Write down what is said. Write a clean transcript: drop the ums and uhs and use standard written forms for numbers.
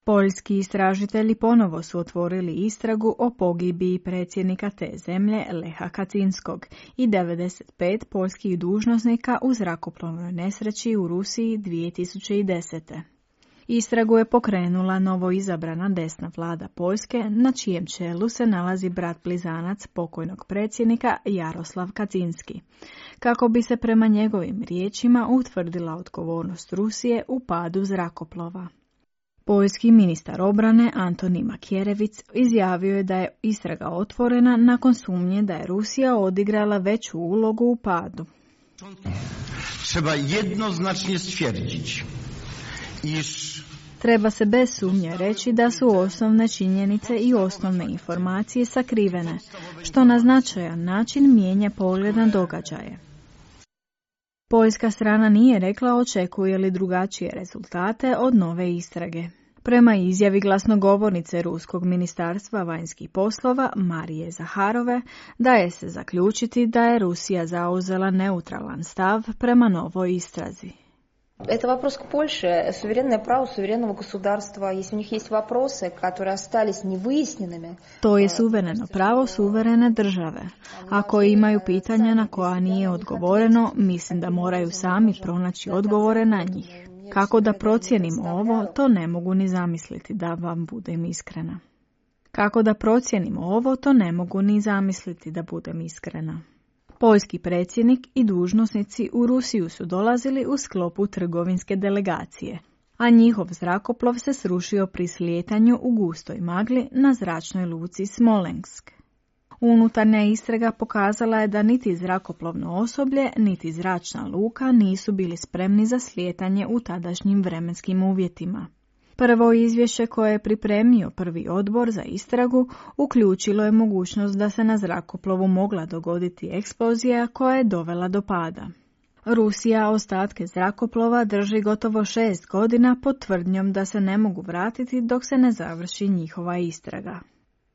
Poljski istražitelji ponovo su otvorili istragu o pogibiji predsjednika te zemlje Leha Kaczynskog i 95 poljskih dužnosnika u zrakoplovnoj nesreći u Rusiji 2010. Istragu je pokrenula novoizabrana desna vlada Poljske, na čijem čelu se nalazi brat blizanac pokojnog predsjednika Jaroslav Kaczynski, kako bi se prema njegovim riječima utvrdila odgovornost Rusije u padu zrakoplova. Poljski ministar obrane Antoni Makierevic izjavio je da je istraga otvorena nakon sumnje da je Rusija odigrala veću ulogu u padu. Treba jednoznacznie stwierdzić, Treba se bez sumnje reći da su osnovne činjenice i osnovne informacije sakrivene, što na značajan način mijenja pogled na događaje. Poljska strana nije rekla očekuje li drugačije rezultate od nove istrage. Prema izjavi glasnogovornice Ruskog ministarstva vanjskih poslova Marije Zaharove, daje se zaključiti da je Rusija zauzela neutralan stav prema novoj istrazi. Это вопрос к Польше. Суверенное право суверенного государства. Если у них есть вопросы, которые остались невыясненными... To je suvereno pravo suverene države. Ako imaju pitanja na koja nije odgovoreno, mislim da moraju sami pronaći odgovore na njih. Kako da procijenim ovo, to ne mogu ni zamisliti, da vam budem iskrena. Kako da procijenim ovo, to ne mogu ni zamisliti, da budem iskrena. Poljski predsjednik i dužnosnici u Rusiju su dolazili u sklopu trgovinske delegacije, a njihov zrakoplov se srušio pri slijetanju u gustoj magli na zračnoj luci Smolensk. Unutarnja istraga pokazala je da niti zrakoplovno osoblje, niti zračna luka nisu bili spremni za slijetanje u tadašnjim vremenskim uvjetima. Prvo izvješće koje je pripremio prvi odbor za istragu uključilo je mogućnost da se na zrakoplovu mogla dogoditi eksplozija koja je dovela do pada. Rusija ostatke zrakoplova drži gotovo 6 godina pod tvrdnjom da se ne mogu vratiti dok se ne završi njihova istraga.